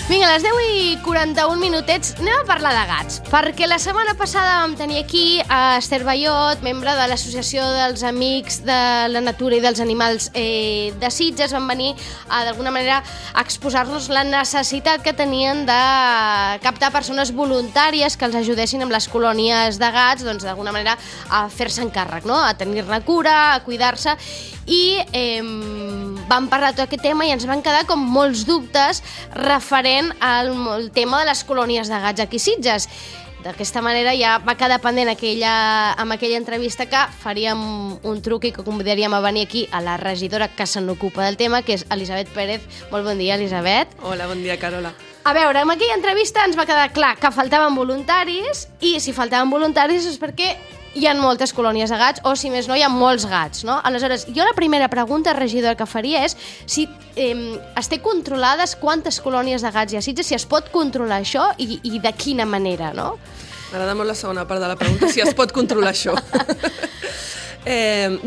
Vinga, a les 10:41 minutets anem a parlar de gats, perquè la setmana passada vam tenir aquí a Esther Ballot, membre de l'Associació dels Amics de la Natura i dels Animals de Sitges. Van venir d'alguna manera a exposar-nos la necessitat que tenien de captar persones voluntàries que els ajudessin amb les colònies de gats, doncs d'alguna manera a fer-se encàrrec, no? A tenir-ne cura, a cuidar-se, i vam parlar de tot aquest tema i ens van quedar com molts dubtes referent al tema de les colònies de gats aquí a Sitges. D'aquesta manera ja va quedar pendent amb aquella entrevista que faríem un truc i que convidaríem a venir aquí a la regidora que se n'ocupa del tema, que és Elisabet Pérez. Molt bon dia, Elisabet. Hola, bon dia, Carola. A veure, en aquella entrevista ens va quedar clar que faltaven voluntaris, i si faltaven voluntaris és perquè hi ha moltes colònies de gats, o si més no, hi ha molts gats, no? Aleshores, jo la primera pregunta, regidora, que faria és si es té controlades quantes colònies de gats hi ha a Sitges, si es pot controlar això i de quina manera, no? M'agrada molt la segona part de la pregunta, si es pot controlar això.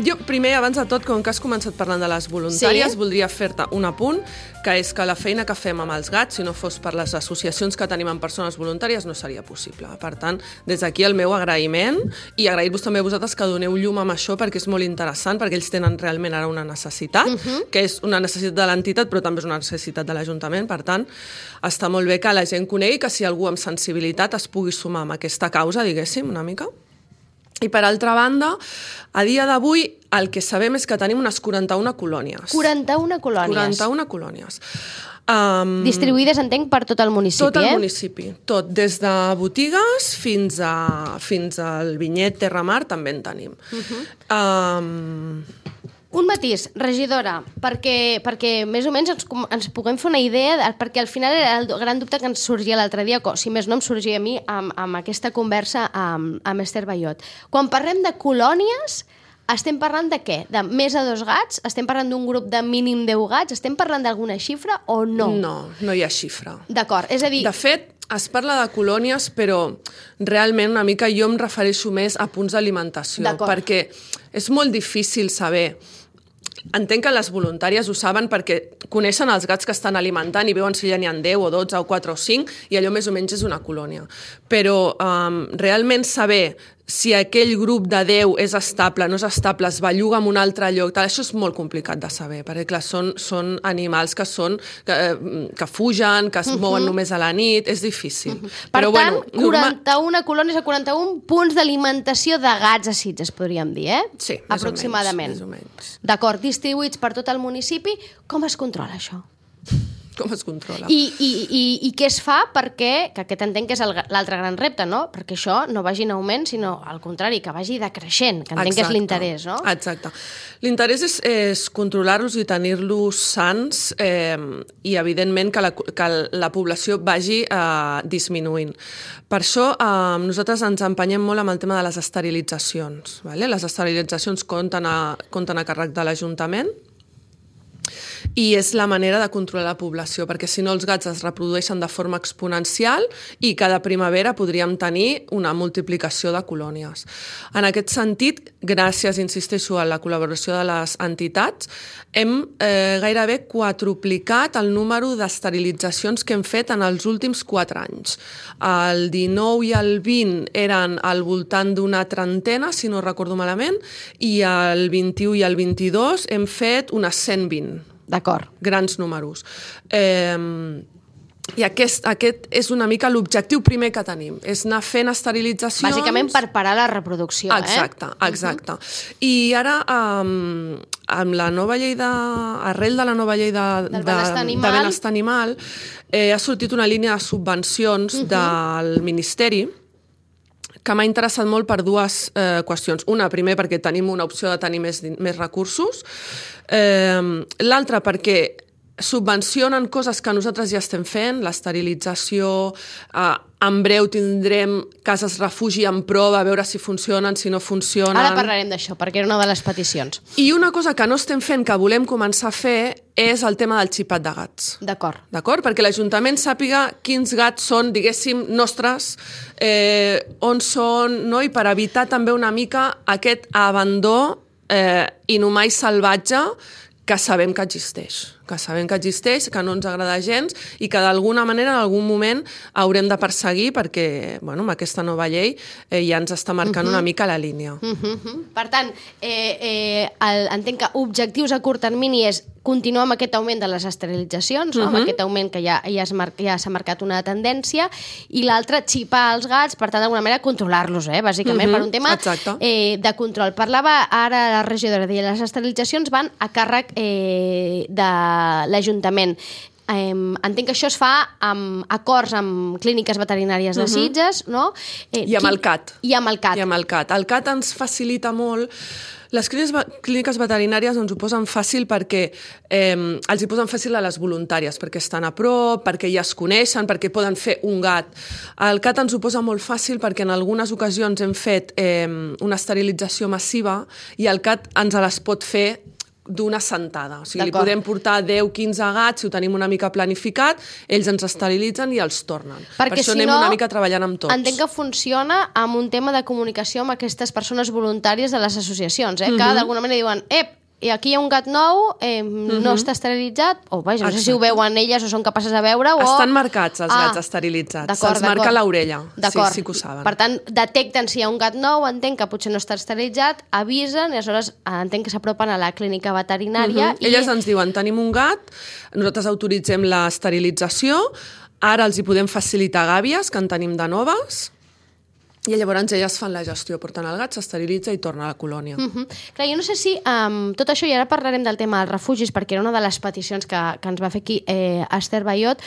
Jo, primer, abans de tot, com que has començat parlant de les voluntàries, voldria fer-te un apunt, que és que la feina que fem amb els gats, si no fos per les associacions que tenim amb persones voluntàries, no seria possible. Per tant, des d'aquí el meu agraïment, i agrair-vos també a vosaltres que doneu llum amb això, perquè és molt interessant, perquè ells tenen realment ara una necessitat, que és una necessitat de l'entitat, però també és una necessitat de l'Ajuntament. Per tant, està molt bé que la gent conegui que si algú amb sensibilitat es pugui sumar amb aquesta causa, diguéssim, una mica. I per altra banda, a dia d'avui el que sabem és que tenim unes 41 colònies. 41 colònies. 41 colònies. Distribuïdes, entenc, per tot el municipi, Tot el municipi, tot. Des de botigues fins al Vinyet, Terramar, també en tenim. Un matís, regidora, perquè més o menys ens puguem fer una idea, perquè al final era el gran dubte que ens sorgia l'altre dia, si més no em sorgia a mi amb aquesta conversa amb Esther Ballot. Quan parlem de colònies, estem parlant de què? De més de 2 gats? Estem parlant d'un grup de mínim 10 gats? Estem parlant d'alguna xifra o no? No, no hi ha xifra. D'acord, és a dir... De fet, es parla de colònies, però realment una mica jo em refereixo més a punts d'alimentació, perquè és molt difícil saber. Entenc que les voluntàries ho saben perquè coneixen els gats que estan alimentant i veuen si ja n'hi ha 10 o 12 o 4 o 5 i allò més o menys és una colònia. Però realment saber si aquell grup de 10 és estable, no és estable, es belluga en un altre lloc, això és molt complicat de saber, perquè clar, són animals que fugen, que es mouen només a la nit, és difícil. Per tant, 41 colònies a 41 punts d'alimentació de gats a Sitges, podríem dir, eh? Sí, aproximadament. Més o menys. D'acord, distribuïts per tot el municipi. Com es controla això? Com es controla? I què es fa perquè, que aquest entenc que és l'altre gran repte, no? Perquè això no vagi en augment, sinó al contrari, que vagi decreixent, que entenc que és l'interès, no? Exacte. L'interès és controlar-los i tenir-los sants i, evidentment, que la població vagi disminuint. Per això nosaltres ens empenyem molt amb el tema de les esterilitzacions. Les esterilitzacions compten a càrrec de l'Ajuntament, i és la manera de controlar la població, perquè si no els gats es reprodueixen de forma exponencial i cada primavera podríem tenir una multiplicació de colònies. En aquest sentit, gràcies, insisteixo, a la col·laboració de les entitats, hem gairebé quadruplicat el número d'esterilitzacions que hem fet en els últims 4 anys. El 19 i el 20 eren al voltant d'una trentena, si no recordo malament, i el 21 i el 22 hem fet unes 120. D'acord. Grans números. I aquest és una mica l'objectiu primer que tenim, és anar fent esterilitzacions... Bàsicament per parar la reproducció, Exacte. I ara, amb la nova llei arrel de la nova llei de benestar animal, ha sortit una línia de subvencions del Ministeri que m'ha interessat molt per 2 qüestions. Una, primer, perquè tenim una opció de tenir més recursos. L'altra, perquè subvencionen coses que nosaltres ja estem fent, l'esterilització, en breu tindrem cases refugi en prova, a veure si funcionen, si no funcionen... Ara parlarem d'això, perquè era una de les peticions. I una cosa que no estem fent, que volem començar a fer, és el tema del xipat de gats. D'acord. D'acord? Perquè l'Ajuntament sàpiga quins gats són, diguéssim, nostres, on són, no? I per evitar també una mica aquest abandó inhumà i salvatge que sabem que existeix. que sabem que existeix, que no ens agrada gens i que d'alguna manera en algun moment haurem de perseguir perquè, bueno, amb aquesta nova llei ja ens està marcant una mica la línia. Per tant, entenc que objectius a curt termini és continuar amb aquest augment de les esterilitzacions, amb aquest augment que ja s'ha marcat una tendència, i l'altre, xipar els gats, per tant, d'alguna manera, controlar-los, bàsicament, per un tema de control. Parlava ara la regidora, deia, les esterilitzacions van a càrrec de l'Ajuntament. Entenc que això es fa amb acords amb clíniques veterinàries de Sitges, no? I amb el CAT. I amb el CAT. El CAT ens facilita molt. Les clíniques veterinàries ens ho posen fàcil perquè els hi posen fàcil a les voluntàries, perquè estan a prop, perquè ja es coneixen, perquè poden fer un gat. El CAT ens ho posa molt fàcil perquè en algunes ocasions hem fet una esterilització massiva i el CAT ens les pot fer d'una sentada. O sigui, li podem portar 10-15 gats, si ho tenim una mica planificat, ells ens esterilitzen i els tornen. Perquè per això anem una mica treballant amb tots. Entenc que funciona amb un tema de comunicació amb aquestes persones voluntàries de les associacions, que d'alguna manera diuen i aquí hi ha un gat nou, no està esterilitzat, o vaja, no sé si ho veuen elles o són capaces de veure, o... Estan marcats els gats esterilitzats, se'ls marca l'orella, sí que ho saben. Per tant, detecten si hi ha un gat nou, entenc que potser no està esterilitzat, avisen, i aleshores entenc que s'apropen a la clínica veterinària. Elles ens diuen, tenim un gat, nosaltres autoritzem l'esterilització, ara els hi podem facilitar gàbies, que en tenim de noves, i llavors elles fan la gestió, porten el gat, s'esterilitza i torna a la colònia. Clar, jo no sé si tot això, i ara parlarem del tema dels refugis, perquè era una de les peticions que ens va fer aquí Esther Baiot,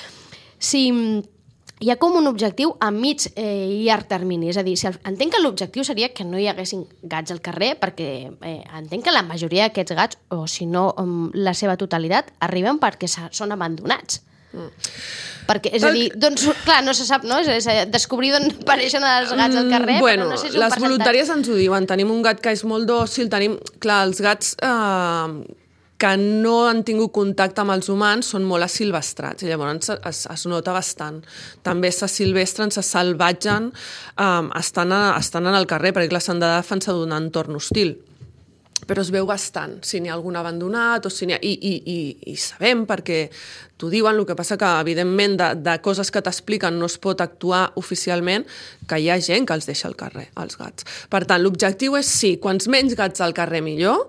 si hi ha com un objectiu a mig i llarg termini, és a dir, entenc que l'objectiu seria que no hi haguessin gats al carrer, perquè entenc que la majoria d'aquests gats, o si no la seva totalitat, arriben perquè són abandonats. Perquè, és a dir, doncs, clar, no se sap, no? És descobrir d'on apareixen els gats al carrer, bueno, però no sé si les voluntàries ens ho diuen, tenim un gat que és molt dòcil, tenim, clar, els gats que no han tingut contacte amb els humans són molt asilvestrats, i llavors es nota bastant. També s'asilvestren, se salvatgen, estan en el carrer, perquè s'han de defensar d'un entorn hostil. Però es veu bastant, si n'hi ha algun abandonat o si n'hi ha... I sabem, perquè t'ho diuen, el que passa que, evidentment, de coses que t'expliquen no es pot actuar oficialment, que hi ha gent que els deixa al carrer, els gats. Per tant, l'objectiu és, sí, quants menys gats al carrer millor.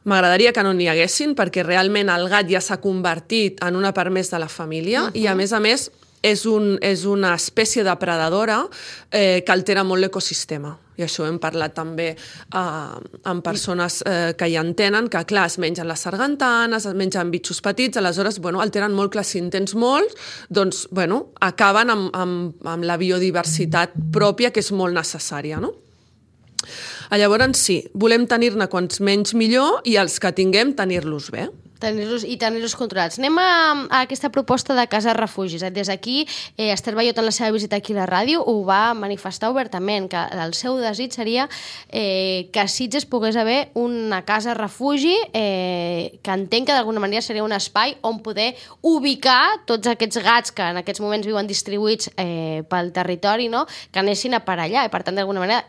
M'agradaria que no n'hi haguessin, perquè realment el gat ja s'ha convertit en una part més de la família i, a més, és una espècie depredadora que altera molt l'ecosistema. I això hem parlat també amb persones que hi entenen, que clar, es mengen les sargantanes, es mengen bitxos petits, aleshores alteren molt, clar, si en tens molts, doncs acaben amb la biodiversitat pròpia, que és molt necessària, no? Llavors sí, volem tenir-ne quants menys millor i els que tinguem tenir-los bé. Tenir-los controlats. Anem a aquesta proposta de casa refugis. Des d'aquí, Esther Baiot, en la seva visita aquí a la ràdio, ho va manifestar obertament, que el seu desig seria que a Sitges pogués haver una casa refugi que entenc que d'alguna manera seria un espai on poder ubicar tots aquests gats que en aquests moments viuen distribuïts pel territori, no? Que anessin a parar allà i, per tant, d'alguna manera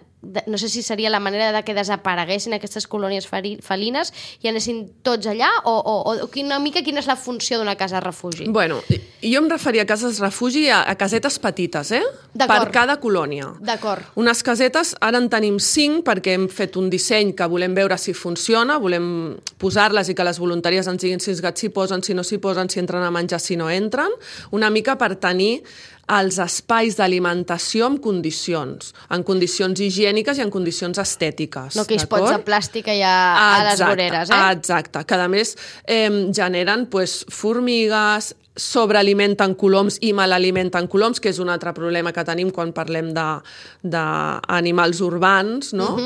no sé si seria la manera que desapareguessin aquestes colònies felines i anessin tots allà, o una mica quina és la funció d'una casa refugi? Bueno, jo em referia a cases refugi a casetes petites, per cada colònia. D'acord. Unes casetes, ara en tenim 5 perquè hem fet un disseny que volem veure si funciona, volem posar-les i que les voluntàries ens diguin si els gats s'hi posen, si no s'hi posen, si entren a menjar, si no entren, una mica per tenir els espais d'alimentació en condicions higièniques i en condicions estètiques. No aquells pots de plàstic allà a les voreres, Exacte, que a més generen formigues, sobrealimenten coloms i malalimenten coloms, que és un altre problema que tenim quan parlem d'animals urbans, no?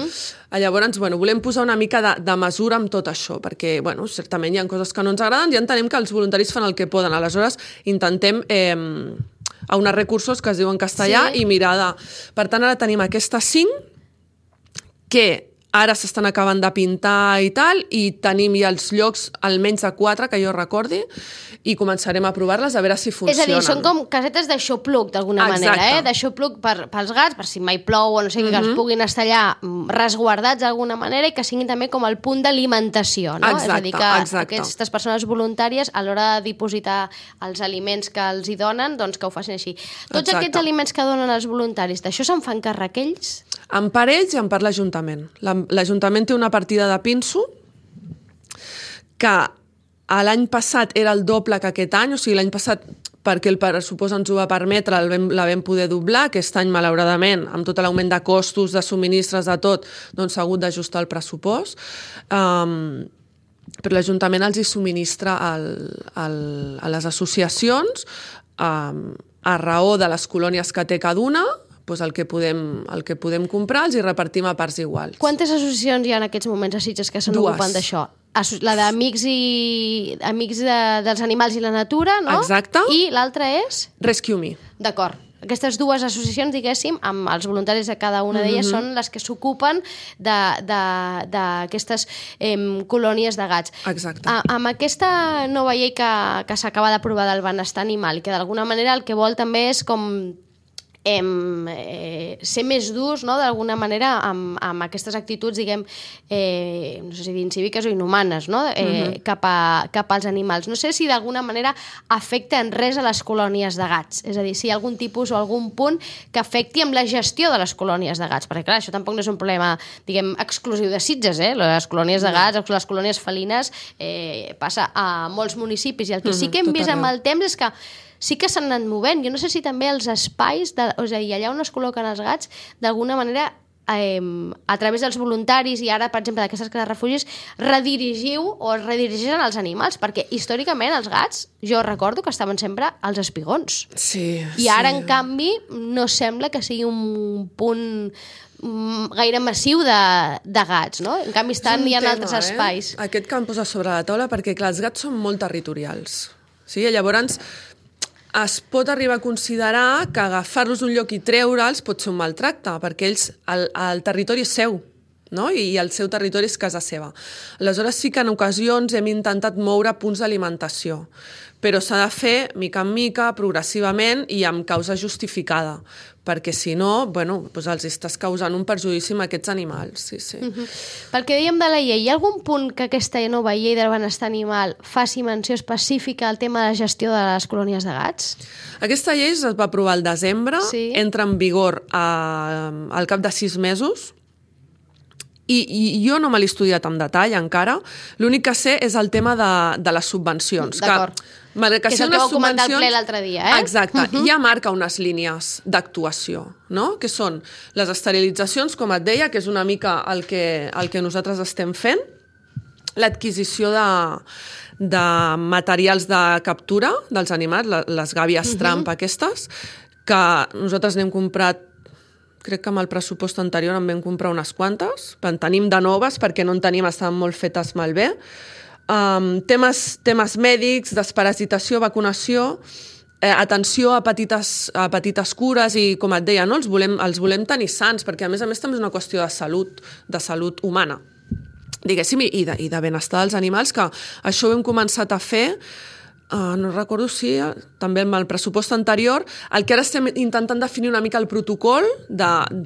Llavors, volem posar una mica de mesura amb tot això, perquè, certament hi ha coses que no ens agraden i entenem que els voluntaris fan el que poden. Aleshores, intentem aunar recursos que es diuen castellà i mirar de... Per tant, ara tenim aquestes 5 que ara s'estan acabant de pintar i tal, i tenim ja els llocs almenys de 4, que jo recordi, i començarem a provar-les a veure si funcionen. És a dir, són com casetes d'aixopluc, d'alguna manera, d'aixopluc pels gats, per si mai plou o no sé, que els puguin estar allà resguardats d'alguna manera i que siguin també com el punt d'alimentació, no? És a dir, que aquestes persones voluntàries, a l'hora de dipositar els aliments que els hi donen, doncs que ho facin així. Tots aquests aliments que donen els voluntaris, d'això se'n fan càrrec ells? En part ells i en part l'Ajuntament. L'Ajuntament té una partida de pinso que l'any passat era el doble que aquest any, o sigui, l'any passat, perquè el pressupost ens ho va permetre, la vam poder doblar. Aquest any, malauradament, amb tot l'augment de costos, de subministres, de tot, doncs s'ha hagut d'ajustar el pressupost. Però l'Ajuntament els hi subministra a les associacions, a raó de les colònies que té cada una, doncs el que podem comprar els hi repartim a parts iguals. Quantes associacions hi ha en aquests moments a Sitges que s'ocupen d'això? La d'Amics dels Animals i la Natura, no? Exacte. I l'altra és? Rescue Me. D'acord. Aquestes dues associacions, diguéssim, amb els voluntaris de cada una d'elles, són les que s'ocupen d'aquestes colònies de gats. Exacte. Amb aquesta nova llei que s'acaba d'aprovar del benestar animal, i que d'alguna manera el que vol també és com ser més durs, no?, d'alguna manera amb aquestes actituds, diguem, no sé si dir incíviques o inhumanes, no?, cap als animals. No sé si d'alguna manera afecta en res a les colònies de gats, és a dir, si hi ha algun tipus o algun punt que afecti amb la gestió de les colònies de gats, perquè clar, això tampoc no és un problema, diguem, exclusiu de Sitges, les colònies de gats, les colònies felines, passa a molts municipis, i el que sí que hem vist amb el temps és que sí que s'han anat movent. Jo no sé si també els espais, és a dir, allà on es col·loquen els gats, d'alguna manera, a través dels voluntaris i ara, per exemple, d'aquestes cases de refugis, redirigeixen els animals, perquè històricament els gats, jo recordo que estaven sempre als espigons. Sí. I ara, en canvi, no sembla que sigui un punt gaire massiu de gats, no? En canvi, hi ha altres espais. Aquest que em posa sobre la taula, perquè, clar, els gats són molt territorials. Sí? Llavors, es pot arribar a considerar que agafar-los d'un lloc i treure'ls pot ser un maltracte, perquè ells, el territori és seu, no? I el seu territori és casa seva. Aleshores sí que en ocasions hem intentat moure punts d'alimentació, però s'ha de fer mica en mica, progressivament i amb causa justificada, perquè si no, bueno, doncs els estàs causant un perjudici a aquests animals. Sí, sí. Pel que dèiem de la llei, hi ha algun punt que aquesta nova llei del benestar animal faci menció específica al tema de la gestió de les colònies de gats? Aquesta llei es va aprovar al desembre, entra en vigor al cap de 6 mesos, i jo no me l'he estudiat en detall encara. L'únic que sé és el tema de les subvencions. D'acord. Que és el que vau comentar al ple l'altre dia, eh? Exacte. Ja marca unes línies d'actuació, no? Que són les esterilitzacions, com et deia, que és una mica el que nosaltres estem fent, l'adquisició de materials de captura dels animals, les gàbies trampa aquestes, que nosaltres n'hem comprat, crec que amb el pressupost anterior en vam comprar unes quantes, en tenim de noves perquè no en tenim, estaven molt fetes malbé. Temes mèdics, desparasitació, vacunació, atenció a petites cures i, com et deia, no? els volem tenir sants, perquè a més també és una qüestió de salut humana, diguéssim, i de benestar dels animals, que això ho hem començat a fer. No recordo si també amb el pressupost anterior, el que ara estem intentant definir una mica el protocol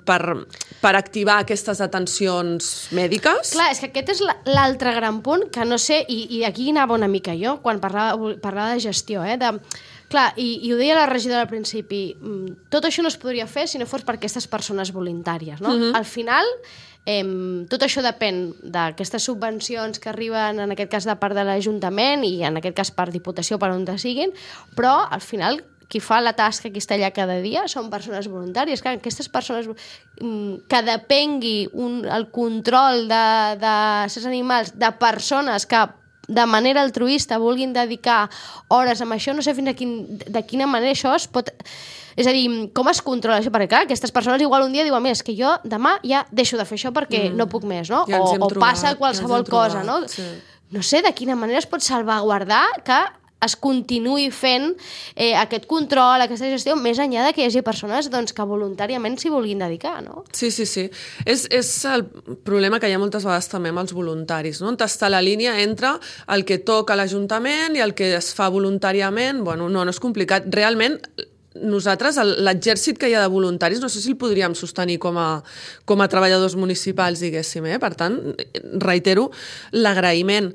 per activar aquestes atencions mèdiques. Clar, és que aquest és l'altre gran punt que no sé, i aquí anava una mica jo quan parlava de gestió, clar, i ho deia la regidora al principi, tot això no es podria fer si no fos per aquestes persones voluntàries, no? Al final, tot això depèn d'aquestes subvencions que arriben, en aquest cas de part de l'Ajuntament i en aquest cas per Diputació, per on siguin, però al final qui fa la tasca, qui està allà cada dia, són persones voluntàries. Clar, aquestes persones que depengui el control de certs animals, de persones que de manera altruista vulguin dedicar hores amb això, no sé fins de quina manera això es pot... És a dir, com es controla això? Perquè clar, aquestes persones igual un dia diuen, mira, és que jo demà ja deixo de fer això perquè no puc més, no? O passa qualsevol cosa, no? Sí. No sé de quina manera es pot salvaguardar que es continuï fent aquest control, aquesta gestió, més enllà de que hi hagi persones que voluntàriament s'hi vulguin dedicar, no? Sí. És el problema que hi ha moltes vegades també amb els voluntaris, no? On està la línia entre el que toca l'Ajuntament i el que es fa voluntàriament. Bueno, no és complicat. Realment, nosaltres, l'exèrcit que hi ha de voluntaris, no sé si el podríem sostenir com a treballadors municipals, diguéssim. Per tant, reitero l'agraïment.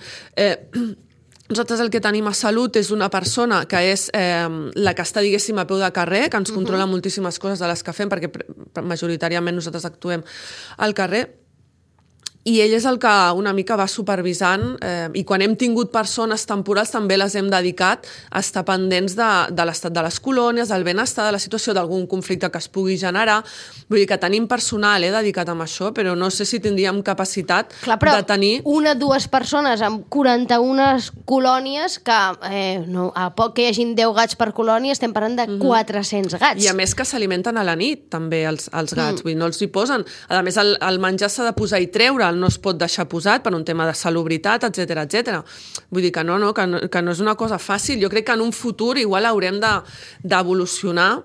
Nosaltres el que tenim a Salut és una persona que és la que està, diguéssim, a peu de carrer, que ens controla moltíssimes coses de les que fem, perquè majoritàriament nosaltres actuem al carrer, i ell és el que una mica va supervisant, i quan hem tingut persones temporals també les hem dedicat a estar pendents de l'estat de les colònies, del benestar, de la situació, d'algun conflicte que es pugui generar. Vull dir que tenim personal dedicat a això, però no sé si tindríem capacitat de tenir... Una o dues persones amb 41 colònies, que a poc que hi hagin 10 gats per colònia, estem parlant de 400 gats. I a més que s'alimenten a la nit, també, els gats. Vull dir, no els hi posen. A més, el menjar s'ha de posar i treure, no es pot deixar posat per un tema de salubritat, etc. Vull dir que que no és una cosa fàcil. Jo crec que en un futur igual haurem d'evolucionar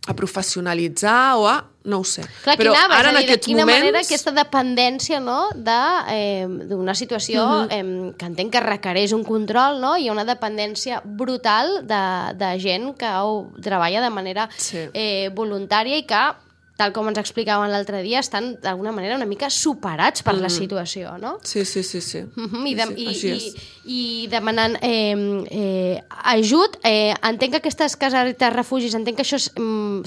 a professionalitzar o a... no ho sé. Clar, però ara en aquests moments... De quina manera aquesta dependència, no?, d'una situació que entenc que requereix un control, no?, hi ha una dependència brutal de gent que treballa de manera voluntària i que, tal com ens explicaven l'altre dia, estan d'alguna manera una mica superats per la situació, no? Sí. I demanant ajut. Entenc que aquestes casetes refugis, entenc que això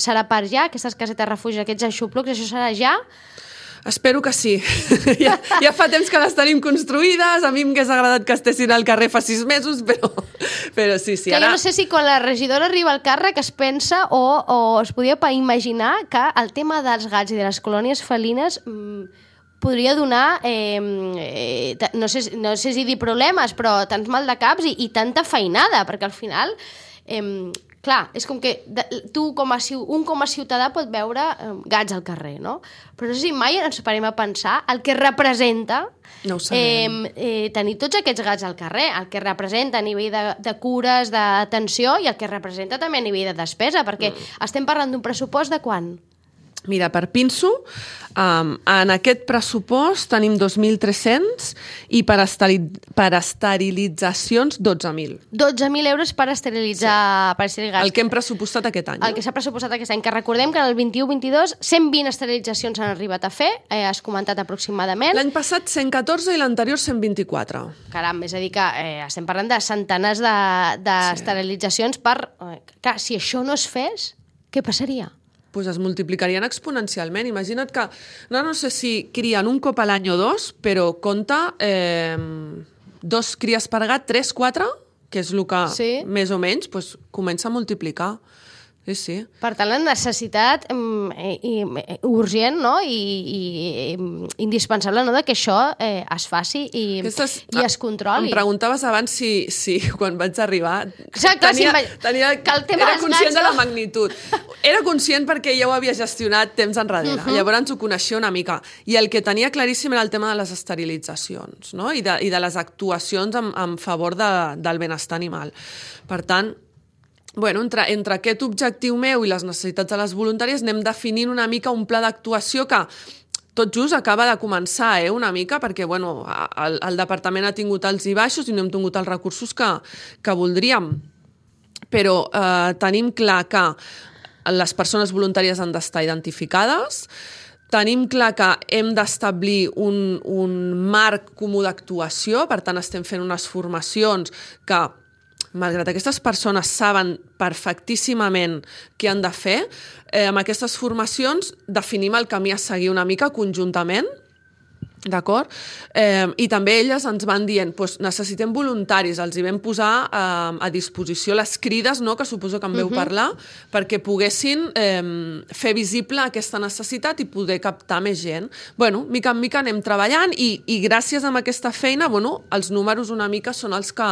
serà per ja, aquestes casetes refugis, aquests aixoplucs, això serà ja? Espero que sí. Ja fa temps que les tenim construïdes, a mi m'hagués agradat que estessin al carrer fa 6 mesos, però sí. Que jo no sé si quan la regidora arriba al càrrec es pensa o es podia imaginar que el tema dels gats i de les colònies felines podria donar, no sé si dir problemes, però tants mal de caps i tanta feinada, perquè al final... Clar, és com que tu com a ciutadà pot veure gats al carrer, no? Però no sé si mai ens parem a pensar el que representa tenir tots aquests gats al carrer, el que representa a nivell de cures, d'atenció i el que representa també a nivell de despesa, perquè estem parlant d'un pressupost de quant? Mira, per pinso, en aquest pressupost tenim 2.300 i per esterilitzacions 12.000. 12.000 euros per esterilitzar gats. El que hem pressupostat aquest any. El que s'ha pressupostat aquest any, que recordem que en el 21-22 120 esterilitzacions s'han arribat a fer, has comentat aproximadament. L'any passat 114 i l'anterior 124. Caram, és a dir que estem parlant de centenars d'esterilitzacions per... Clar, si això no es fes, què passaria? Pues es multiplicarien exponencialment. Imagina't que, no sé si crien un cop a l'any o 2, però compta 2 cries per gat, 3, 4, que és el que més o menys comença a multiplicar. Sí. Per tant, la necessitat urgent, no?, i indispensable, no?, que això es faci i es controli. Em preguntaves abans si quan vaig arribar era conscient de la magnitud. Era conscient perquè ja ho havia gestionat temps enrere. Llavors ho coneixia una mica. I el que tenia claríssim era el tema de les esterilitzacions, no?, i de les actuacions en favor del benestar animal. Per tant, entre aquest objectiu meu i les necessitats de les voluntàries anem definint una mica un pla d'actuació que tot just acaba de començar, una mica, perquè el departament ha tingut alts i baixos i no hem tingut els recursos que voldríem. Però tenim clar que les persones voluntàries han d'estar identificades, tenim clar que hem d'establir un marc comú d'actuació, per tant estem fent unes formacions que, malgrat aquestes persones saben perfectíssimament què han de fer, amb aquestes formacions definim el camí a seguir una mica conjuntament, d'acord? I també elles ens van dient, necessitem voluntaris, els hi vam posar a disposició les crides, no?, que suposo que en veu parlar, perquè poguessin fer visible aquesta necessitat i poder captar més gent. Mica en mica anem treballant i gràcies a aquesta feina, els números una mica són els que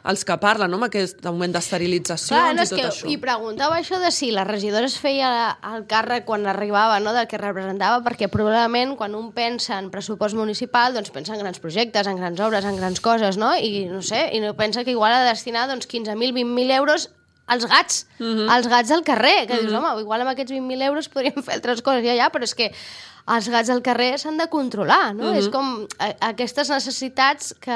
els que parlen, no? Amb aquest augment d'esterilitzacions i tot això. I preguntava això de si la regidora es feia el càrrec quan arribava, no?, del que representava, perquè probablement quan un pensa en pressupost municipal doncs pensa en grans projectes, en grans obres, en grans coses, no? I no sé, i no pensa que igual ha de destinar doncs, 15.000, 20.000 euros als gats, als gats del carrer, que dius, home, igual amb aquests 20.000 euros podríem fer altres coses ja, però és que els gats al carrer s'han de controlar, no? És com aquestes necessitats que,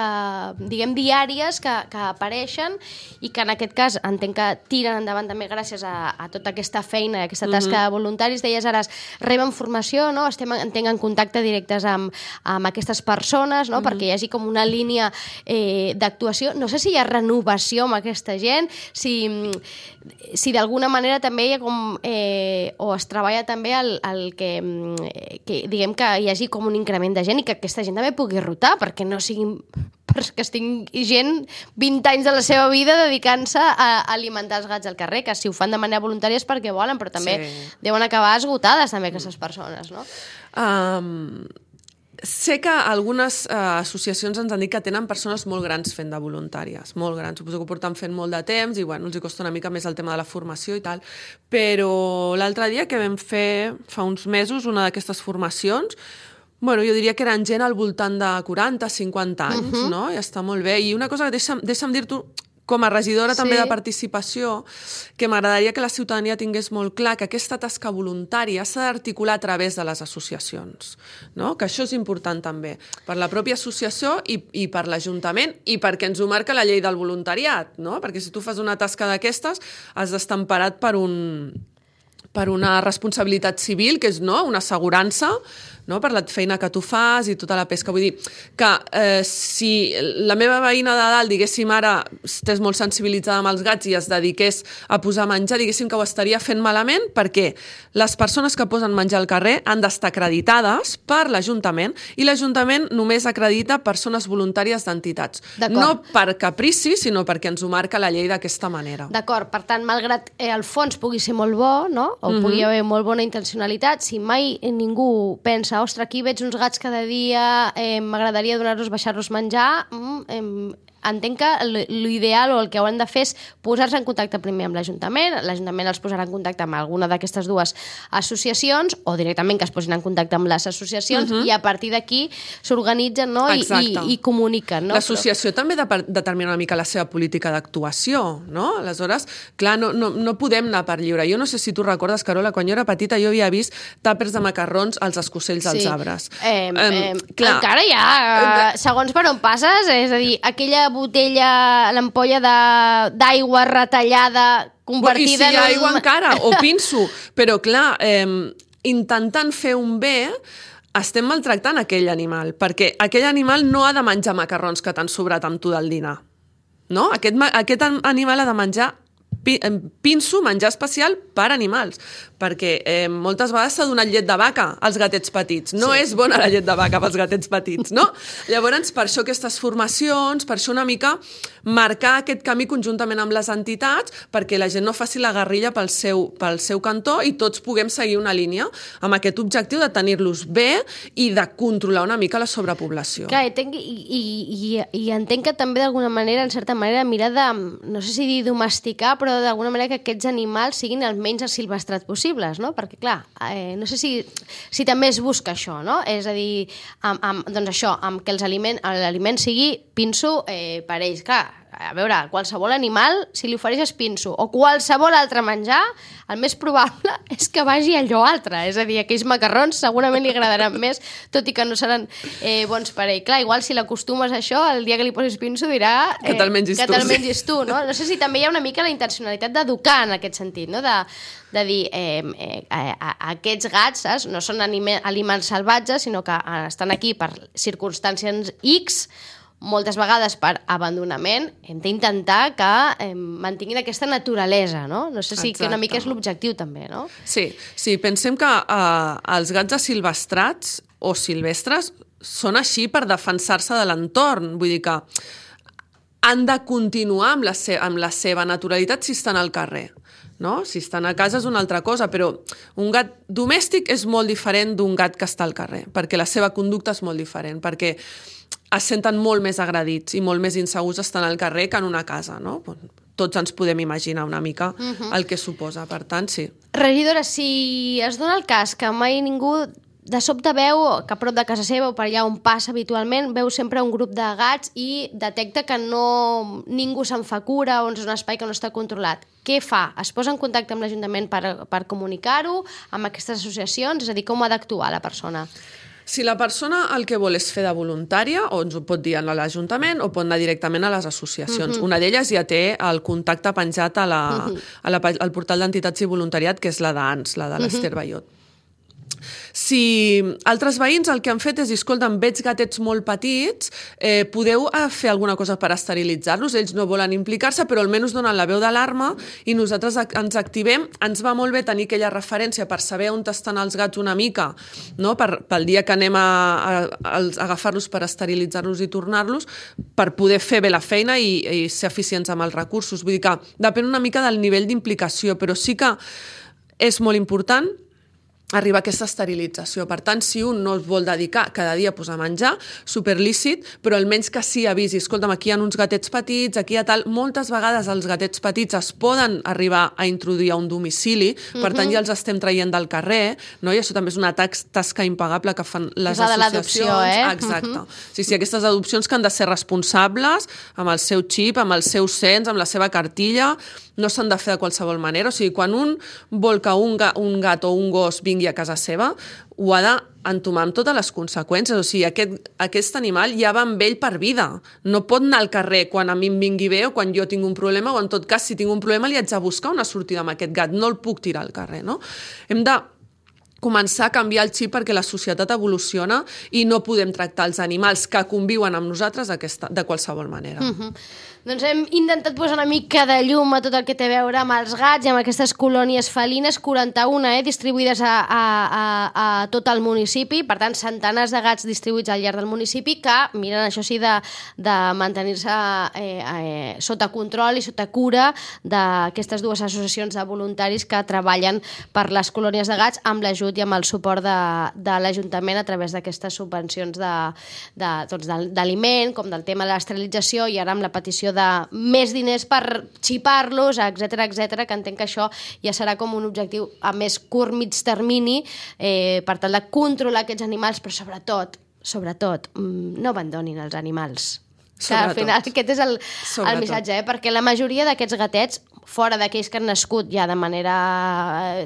diguem, diàries que apareixen i que en aquest cas entenc que tiren endavant també gràcies a tota aquesta feina, aquesta tasca de voluntaris. Deies ara, reben formació, no? Entenc en contacte directes amb aquestes persones, no? Perquè hi hagi com una línia d'actuació. No sé si hi ha renovació amb aquesta gent, si d'alguna manera també hi ha com o es treballa també el que diguem que hi hagi com un increment de gent i que aquesta gent també pugui rotar, perquè no siguin que estigui gent 20 anys de la seva vida dedicant-se a alimentar els gats al carrer, que si ho fan de manera voluntària és perquè volen, però també deuen acabar esgotades també aquestes persones, no? Sé que algunes associacions ens han dit que tenen persones molt grans fent de voluntàries, molt grans. Suposo que ho porten fent molt de temps i, bueno, els hi costa una mica més el tema de la formació i tal. Però l'altre dia que vam fer, fa uns mesos, una d'aquestes formacions, bueno, jo diria que eren gent al voltant de 40, 50 anys, no? I està molt bé. I una cosa que deixa'm dir-t'ho, com a regidora també de participació, que m'agradaria que la ciutadania tingués molt clar que aquesta tasca voluntària s'ha d'articular a través de les associacions, no? Que això és important també, per la pròpia associació i per l'Ajuntament i perquè ens ho marca la llei del voluntariat, no? Perquè si tu fas una tasca d'aquestes has d'estar emparat per una responsabilitat civil, que és una assegurança, no? Per la feina que tu fas i tota la pesca. Vull dir que si la meva veïna de dalt, diguéssim, ara estés molt sensibilitzada amb els gats i es dediqués a posar menjar, diguéssim que ho estaria fent malament, perquè les persones que posen menjar al carrer han d'estar acreditades per l'Ajuntament i l'Ajuntament només acredita persones voluntàries d'entitats. No per caprici, sinó perquè ens ho marca la llei d'aquesta manera. D'acord, per tant, malgrat el fons pugui ser molt bo, no? O pugui haver molt bona intencionalitat, si mai ningú pensa ostres, aquí veig uns gats cada dia, m'agradaria donar-los, baixar-los menjar, entenc que l'ideal o el que hauran de fer és posar-se en contacte primer amb l'Ajuntament els posarà en contacte amb alguna d'aquestes dues associacions o directament que es posin en contacte amb les associacions i a partir d'aquí s'organitzen, no? I comuniquen. No? L'associació també determina una mica la seva política d'actuació, no? Aleshores, clar, no podem anar per lliure. Jo no sé si tu recordes, Carola, quan jo era petita jo havia vist tàpers de macarrons als escocells dels arbres. Encara hi ha, segons per on passes, és a dir, aquella botella, l'ampolla d'aigua retallada, convertida en... I si hi ha aigua encara, o pinso. Però, clar, intentant fer un bé, estem maltractant aquell animal, perquè aquell animal no ha de menjar macarrons que t'han sobrat amb tu del dinar. No? Aquest animal ha de menjar pinso, menjar especial per animals, perquè moltes vegades s'ha donat llet de vaca als gatets petits. No és bona la llet de vaca pels gatets petits, no? Llavors, per això aquestes formacions, per això una mica marcar aquest camí conjuntament amb les entitats, perquè la gent no faci la guerrilla pel seu cantó i tots puguem seguir una línia amb aquest objectiu de tenir-los bé i de controlar una mica la sobrepoblació. Clar, i entenc que també d'alguna manera, en certa manera, mirar de, no sé si dir domesticar, però d'alguna manera que aquests animals siguin el menys asilvestrats possibles, no? Perquè, clar, no sé si també es busca això, no? És a dir, doncs això, amb que l'aliment sigui pinso per ells. Clar, a veure, qualsevol animal, si li ofereixes pinso o qualsevol altre menjar, el més probable és que vagi a allò altre. És a dir, aquells macarrons segurament li agradaran més, tot i que no seran bons per ell. Clar, igual si l'acostumes a això, el dia que li posis pinso dirà que te'l mengis tu, no? No sé si també hi ha una mica la intencionalitat d'educar en aquest sentit, no? De dir, aquests gats, saps? No són aliments salvatges, sinó que estan aquí per circumstàncies X, moltes vegades per abandonament, hem d'intentar que mantinguin aquesta naturalesa, no? No sé si que una mica és l'objectiu també, no? Sí, pensem que els gats asilvestrats o silvestres són així per defensar-se de l'entorn, vull dir que han de continuar amb la seva naturalitat si estan al carrer. No? Si estan a casa és una altra cosa, però un gat domèstic és molt diferent d'un gat que està al carrer, perquè la seva conducta és molt diferent, perquè es senten molt més agredits i molt més insegurs estant al carrer que en una casa, no? Tots ens podem imaginar una mica el que suposa, per tant, sí. Regidora, si es dona el cas que mai ningú de sobte veu que a prop de casa seva o per allà on passa habitualment, veu sempre un grup de gats i detecta que ningú se'n fa cura o és un espai que no està controlat. Què fa? Es posa en contacte amb l'Ajuntament per comunicar-ho, amb aquestes associacions? És a dir, com ha d'actuar la persona? Si la persona el que vol és fer de voluntària, o ens ho pot dir a l'Ajuntament o pot anar directament a les associacions. Una d'elles ja té el contacte penjat al portal d'entitats i voluntariat, que és la d'ANS, la de l'Ester Ballot. Si altres veïns el que han fet és dir, escolta'm, veig gatets molt petits, podeu fer alguna cosa per esterilitzar-los? Ells no volen implicar-se, però almenys donen la veu d'alarma i nosaltres ens activem. Ens va molt bé tenir aquella referència per saber on estan els gats una mica, no? Pel dia que anem a agafar-los per esterilitzar-los i tornar-los, per poder fer bé la feina i ser eficients amb els recursos. Vull dir que depèn una mica del nivell d'implicació, però sí que és molt important arribar a aquesta esterilització. Per tant, si un no es vol dedicar cada dia a posar menjar, superlícit, però almenys que sí avisi, escolta'm, aquí hi ha uns gatets petits, aquí hi ha tal... Moltes vegades els gatets petits es poden arribar a introduir a un domicili, per tant ja els estem traient del carrer, no? I això també és una tasca impagable que fan les associacions. Exacte. Sí, aquestes adopcions que han de ser responsables, amb el seu xip, amb el seu cens, amb la seva cartilla, no s'han de fer de qualsevol manera. O sigui, quan un vol que un gat o un gos vingui a casa seva, ho ha d'entomar amb totes les conseqüències. O sigui, aquest animal ja va amb ell per vida. No pot anar al carrer quan a mi em vingui bé o quan jo tinc un problema, o en tot cas, si tinc un problema, li haig de buscar una sortida amb aquest gat. No el puc tirar al carrer, no? Hem de començar a canviar el xip perquè la societat evoluciona i no podem tractar els animals que conviuen amb nosaltres de qualsevol manera. Doncs hem intentat posar una mica de llum a tot el que té a veure amb els gats i amb aquestes colònies felines, 41, distribuïdes a tot el municipi, per tant, centenars de gats distribuïts al llarg del municipi que miren, això sí, de mantenir-se sota control i sota cura d'aquestes dues associacions de voluntaris que treballen per les colònies de gats amb l'ajut i amb el suport de l'Ajuntament a través d'aquestes subvencions d'aliment, com del tema de l'esterilització i ara amb la petició de més diners per xipar-los, etcètera, que entenc que això ja serà com un objectiu a més curt, mig termini, per tal de controlar aquests animals, però sobretot, no abandonin els animals. Que al final aquest és el missatge, perquè la majoria d'aquests gatets, fora d'aquells que han nascut ja de manera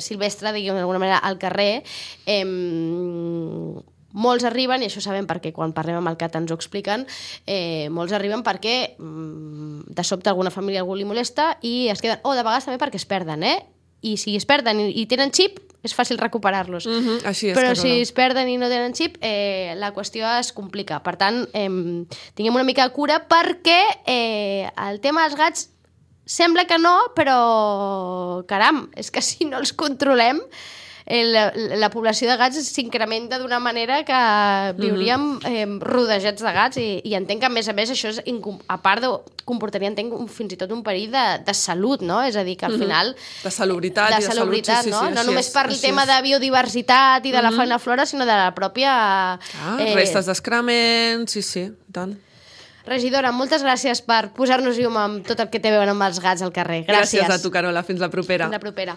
silvestre, diguem d'alguna manera, al carrer, molts arriben, i això sabem perquè quan parlem amb el CAT ens ho expliquen, molts arriben perquè de sobte alguna família algú li molesta i es queden, o de vegades també perquè es perden, i si es perden i tenen xip és fàcil recuperar-los. Així és, però Carola. si es perden i no tenen xip, la qüestió es complica. Per tant, tinguem una mica de cura perquè el tema dels gats sembla que no, però caram, és que si no els controlem la població de gats s'incrementa d'una manera que viuríem rodejats de gats i entenc que a més això és, a part comportaria, entenc, fins i tot un perill de salut, no? És a dir, que al final... De salubritat i de salut, sí. No només per el tema de biodiversitat i de la fauna flora, sinó de la pròpia... restes d'excrement, sí, tant. Regidora, moltes gràcies per posar-nos llum amb tot el que té a veure amb els gats al carrer. Gràcies. Gràcies a tu, Carola. Fins la propera. Fins la propera.